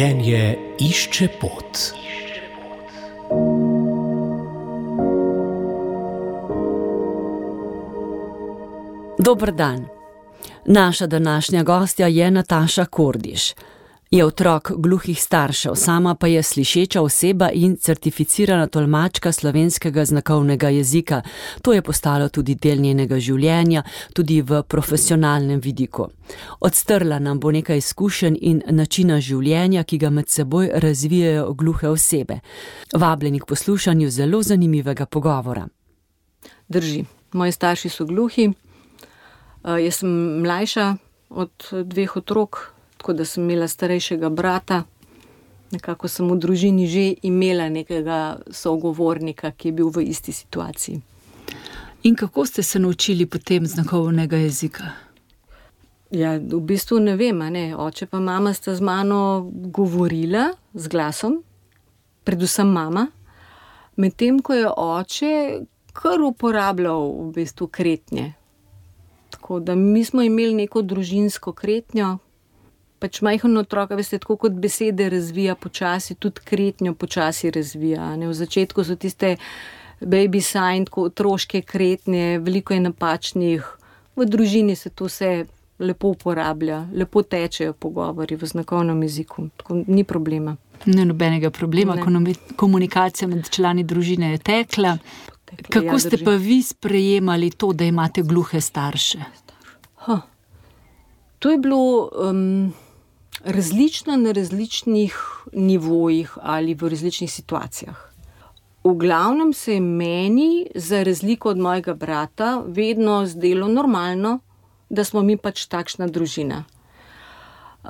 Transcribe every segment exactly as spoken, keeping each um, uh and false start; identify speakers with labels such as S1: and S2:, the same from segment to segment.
S1: Življenje išče pot.
S2: Dober dan. Naša današnja gostja je Nataša Kordiš. Je otrok gluhih staršev, sama pa je slišeča oseba in certificirana tolmačka slovenskega znakovnega jezika. To je postalo tudi del njenega življenja, tudi v profesionalnem vidiku. Odstrla nam bo nekaj izkušenj in načina življenja, ki ga med seboj razvijajo gluhe osebe. Vabljeni k poslušanju zelo zanimivega pogovora.
S3: Drži. Moji starši so gluhi. Jaz sem mlajša od dveh otrok, tako da sem imela starejšega brata. Nekako sem v družini že imela nekega sogovornika, ki je bil v isti situaciji.
S4: In kako ste se naučili potem znakovnega jezika?
S3: Ja, v bistvu ne vem, a ne. Oče pa mama sta z mano govorila z glasom, predvsem mama, medtem ko je oče kar uporabljal v bistvu kretnje. Tako da mi smo imeli neko družinsko kretnjo. Pač majhen otrok, veste, tako kot besede razvija počasi, tudi kretnjo počasi razvija. Ne? V začetku so tiste baby sign, tako otroške kretnje, veliko je napačnih. V družini se to vse lepo uporablja, lepo tečejo pogovori v znakovnem jeziku. Tako ni problema.
S4: Ne nobenega problema, ne. Komunikacija med člani družine je tekla. tekla Kako ja, ste pa vi sprejemali to, da imate gluhe starše?
S3: Ha. To je bilo... Um, različno na različnih nivojih ali v različnih situacijah. V glavnem se je meni, za razliko od mojega brata, vedno zdelo normalno, da smo mi pač takšna družina.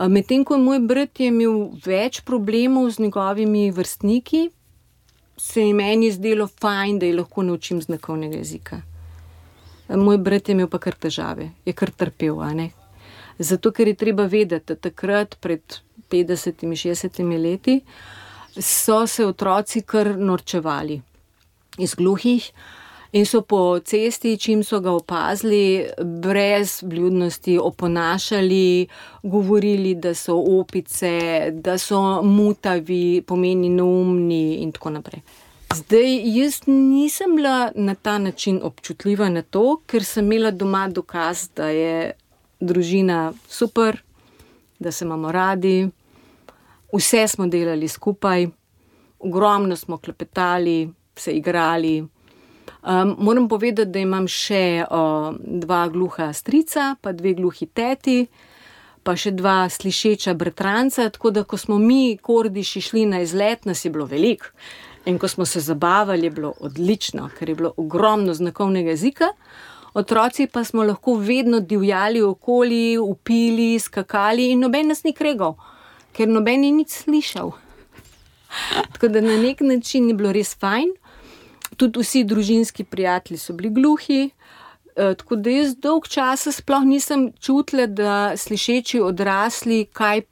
S3: Medtem ko moj brat je imel več problemov z njegovimi vrstniki, se je meni zdelo fajn, da je lahko naučim znakovnega jezika. Moj brat je imel pa kar težave, je kar trpel, a ne? Zato, ker je treba vedeti, da takrat pred petdesetimi, šestdesetimi leti so se otroci kar norčevali iz gluhih in so po cesti, čim so ga opazili, brez vljudnosti oponašali, govorili, da so opice, da so mutavi, pomeni neumni in tako naprej. Zdaj, jaz nisem bila na ta način občutljiva na to, ker sem imela doma dokaz, da je družina super, da se imamo radi, vse smo delali skupaj, ogromno smo klepetali, se igrali. Um, moram povedati, da imam še uh, dva gluha strica, pa dve gluhi teti, pa še dva slišeča bratranca, tako da ko smo mi Kordiši šli na izlet, nas je bilo veliko. In ko smo se zabavali, je bilo odlično, ker je bilo ogromno znakovnega jezika. Otroci pa smo lahko vedno divjali okoli, upili, skakali in noben nas ni kregal, ker noben ni nič slišal. Tako da na nek način je bilo res fajn. Tudi vsi družinski prijatelji so bili gluhi, tako da jaz dolg časa sploh nisem čutila, da slišeči odrasli kaj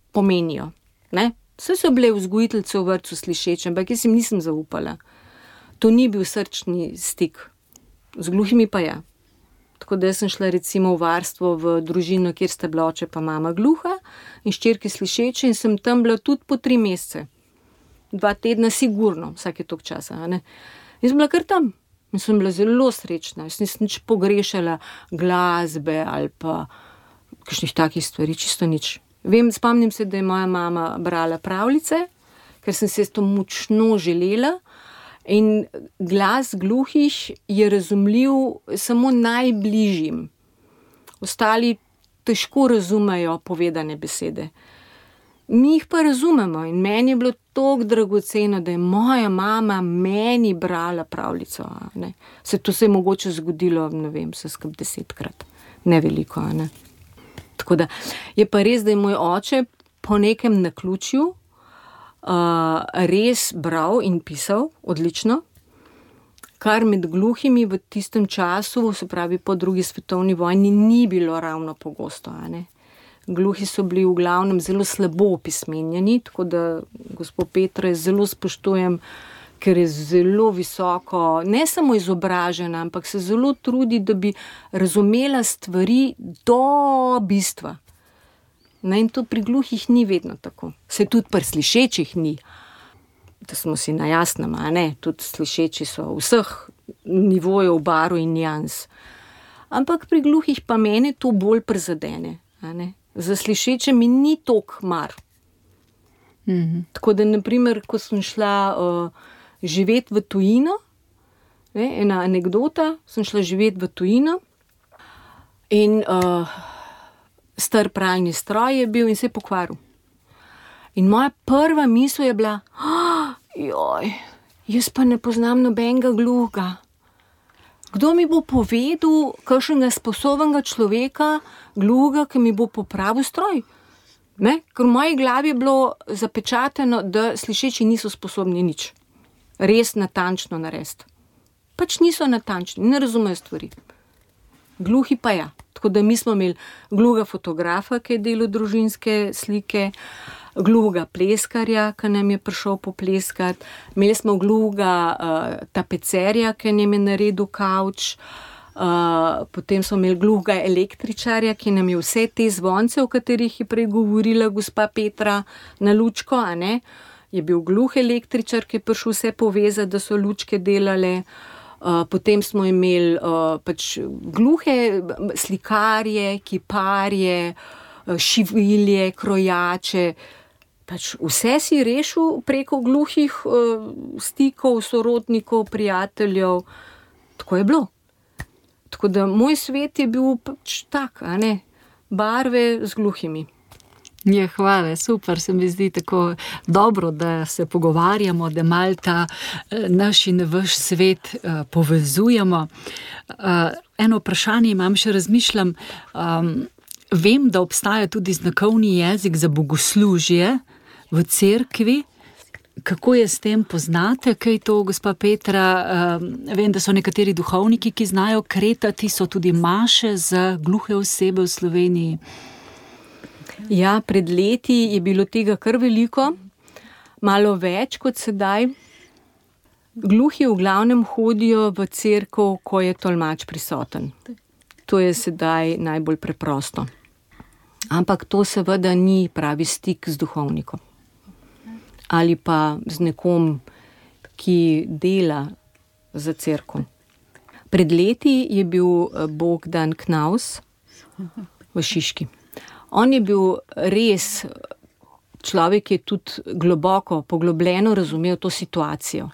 S3: pomenijo. Ne? Vse so bile vzgojiteljice v vrtcu slišeče, ampak jaz jim nisem zaupala. To ni bil srčni stik. Z gluhimi pa ja. Tako da sem šla recimo v varstvo v družino, kjer sta bila oče pa mama gluha in hčerke slišeče in sem tam bila tudi po tri mesece. Dva tedna sigurno, vsake toliko časa. Ne? In sem bila kar tam. In sem bila zelo srečna. Jaz nisem nič pogrešala glasbe ali pa kakšnih takih stvari, čisto nič. Vem, spomnim se, da je moja mama brala pravljice, ker sem se to močno želela. In glas gluhih je razumljiv samo najbližjim. Ostali težko razumejo povedane besede. Mi jih pa razumemo in meni je bilo toliko dragoceno, da je moja mama meni brala pravljico. Ne. Se to se je mogoče zgodilo, ne vem, se skrb desetkrat. Ne veliko, ne. Tako da je pa res, da je moj oče po nekem naključju Uh, res bral in pisal odlično, kar med gluhimi v tistem času, se pravi po drugi svetovni vojni, ni bilo ravno pogosto. Ne? Gluhi so bili v glavnem zelo slabo opismenjeni, tako da gospod Petro je zelo spoštujem, ker je zelo visoko, ne samo izobražena, ampak se zelo trudi, da bi razumela stvari do bistva. Ne, in to pri gluhih ni vedno tako. Se tudi pri slišečih ni. Da smo si na jasnem, a ne, tudi slišeči so vseh nivojev, barv in nijans. Ampak pri gluhih pa mene to bolj prizadene, a ne. Za slišeče mi ni toliko mar. Mm-hmm. Tako da, naprimer, ko sem šla uh, živeti v tujino, ne, ena anekdota, sem šla živeti v tujino in uh, star pralni stroj je bil in se je pokvaril. In moja prva misel je bila, oh, joj, jaz pa ne poznam nobenega gluhega. Kdo mi bo povedal, kakšnega sposobnega človeka, gluhega, ki mi bo popravil stroj? Ne? Ker v moji glavi je bilo zapečateno, da slišeči niso sposobni nič. Res natančno narediti. Pač niso natančni, ne razumejo stvari. Gluhi pa ja. Tako da mi smo imeli gluhega fotografa, ki je delal družinske slike, gluhega pleskarja, ki nam je prišel popleskati, imeli smo gluhega uh, tapecerja, ki nam je naredil kavč, uh, potem smo imeli gluhega električarja, ki nam je vse te zvonce, o katerih je prej govorila gospa Petra, na lučko, a ne, je bil gluh električar, ki je prišel vse povezati, da so lučke delale. Uh, potem smo imeli uh, pač gluhe slikarje, kiparje, uh, šivilje, krojače. Pač vse si rešil preko gluhih uh, stikov, sorodnikov, prijateljev. Tako je bilo. Tako da moj svet je bil pač tak, a ne, barve z gluhimi.
S4: Je, hvala, super, se mi zdi tako dobro, da se pogovarjamo, da malo ta naš in vaš svet uh, povezujemo. Uh, eno vprašanje imam, še razmišljam, um, vem, da obstaja tudi znakovni jezik za bogoslužje v cerkvi. Kako je s tem, poznate kaj to, gospa Petra? Um, vem, da so nekateri duhovniki, ki znajo kretati, so tudi maše za gluhe osebe v Sloveniji.
S3: Ja, pred leti je bilo tega kar veliko, malo več kot sedaj. Gluhi v glavnem hodijo v cerkev, ko je tolmač prisoten. To je sedaj najbolj preprosto. Ampak to seveda ni pravi stik z duhovnikom. Ali pa z nekom, ki dela za cerkev. Pred leti je bil Bogdan Knaus v Šiški. On je bil res človek, ki je tudi globoko, poglobljeno razumel to situacijo.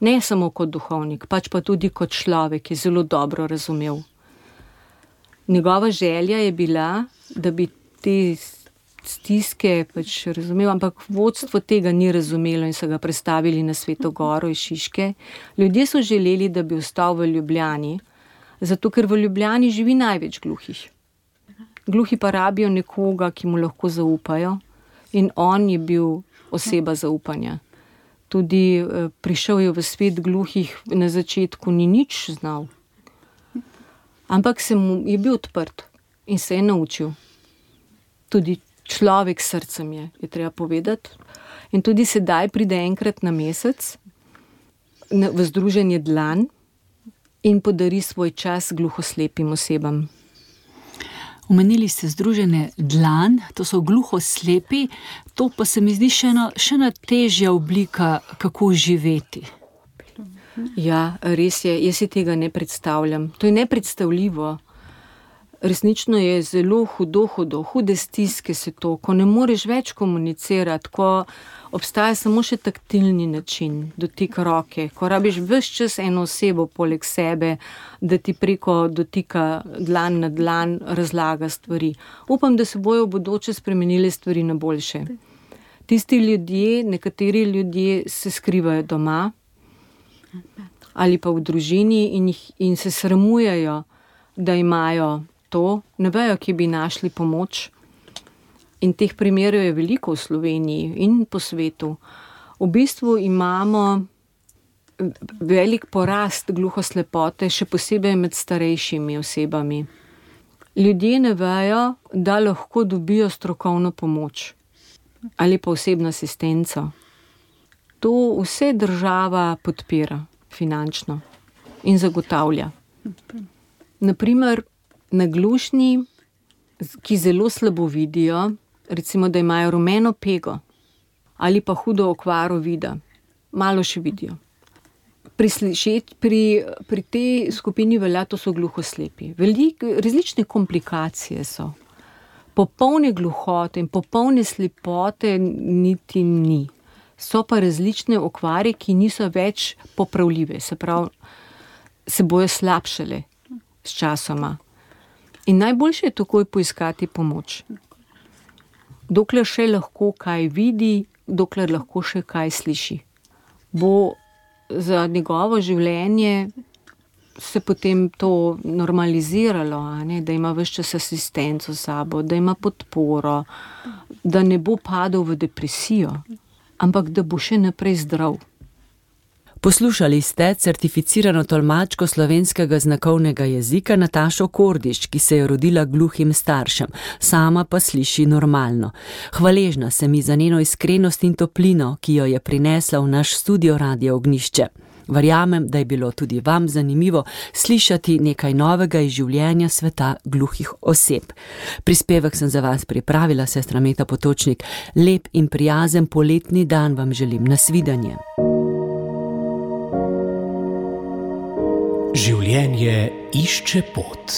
S3: Ne samo kot duhovnik, pač pa tudi kot človek, ki je zelo dobro razumel. Njegova želja je bila, da bi te stiske pač razumel, ampak vodstvo tega ni razumelo in so ga prestavili na Sveto Goro iz Šiške. Ljudje so želeli, da bi ostal v Ljubljani, zato ker v Ljubljani živi največ gluhih. Gluhi pa rabijo nekoga, ki mu lahko zaupajo, in on je bil oseba zaupanja. Tudi eh, prišel je v svet gluhih, na začetku ni nič znal. Ampak se mu je bil odprt in se je naučil. Tudi človek s srcem je, je treba povedati. In tudi sedaj pride enkrat na mesec v združenje Dlan in podari svoj čas gluhoslepim osebam.
S4: Omenili ste združenje Dlan, to so gluhoslepi, to pa se mi zdi še ena, še ena težja oblika, kako živeti.
S3: Ja, res je, jaz si tega ne predstavljam. To je nepredstavljivo. Resnično je zelo hudo, hudo, hude stiske se to, ko ne moreš več komunicirati, ko obstaja samo še taktilni način, dotik roke, ko rabiš ves čas eno osebo poleg sebe, da ti preko dotika dlan na dlan razlaga stvari. Upam, da se bojo v bodoče spremenile stvari na boljše. Tisti ljudje, nekateri ljudje se skrivajo doma ali pa v družini in, jih, in se sramujejo, da imajo to, ne vejo, ki bi našli pomoč. In teh primerov je veliko v Sloveniji in po svetu. V bistvu imamo velik porast gluhoslepote, še posebej med starejšimi osebami. Ljudje ne vejo, da lahko dobijo strokovno pomoč ali pa osebno asistenco. To vse država podpira finančno in zagotavlja. Naprimer, naglušni, ki zelo slabo vidijo, recimo, da imajo rumeno pego ali pa hudo okvaro vida, malo še vidijo. Pri, slišet, pri, pri tej skupini velja, to so gluhoslepi. Veliko različne komplikacije so. Popolne gluhote in popolne slepote niti ni. So pa različne okvare, ki niso več popravljive, se pravi, se bojo slabšale s časoma. In najboljše je takoj poiskati pomoč. Dokler še lahko kaj vidi, dokler lahko še kaj sliši. Bo za njegovo življenje se potem to normaliziralo, a ne? Da ima ves čas asistenco s sabo, da ima podporo, da ne bo padel v depresijo, ampak da bo še naprej zdrav.
S2: Poslušali ste certificirano tolmačko slovenskega znakovnega jezika Natašo Kordiš, ki se je rodila gluhim staršem, sama pa sliši normalno. Hvaležna sem ji za njeno iskrenost in toplino, ki jo je prinesla v naš studio Radio Ognjišče. Verjamem, da je bilo tudi vam zanimivo slišati nekaj novega iz življenja sveta gluhih oseb. Prispevek sem za vas pripravila sestra Meta Potočnik. Lep in prijazen poletni dan vam želim. Nasvidenje.
S1: Življenje išče pot.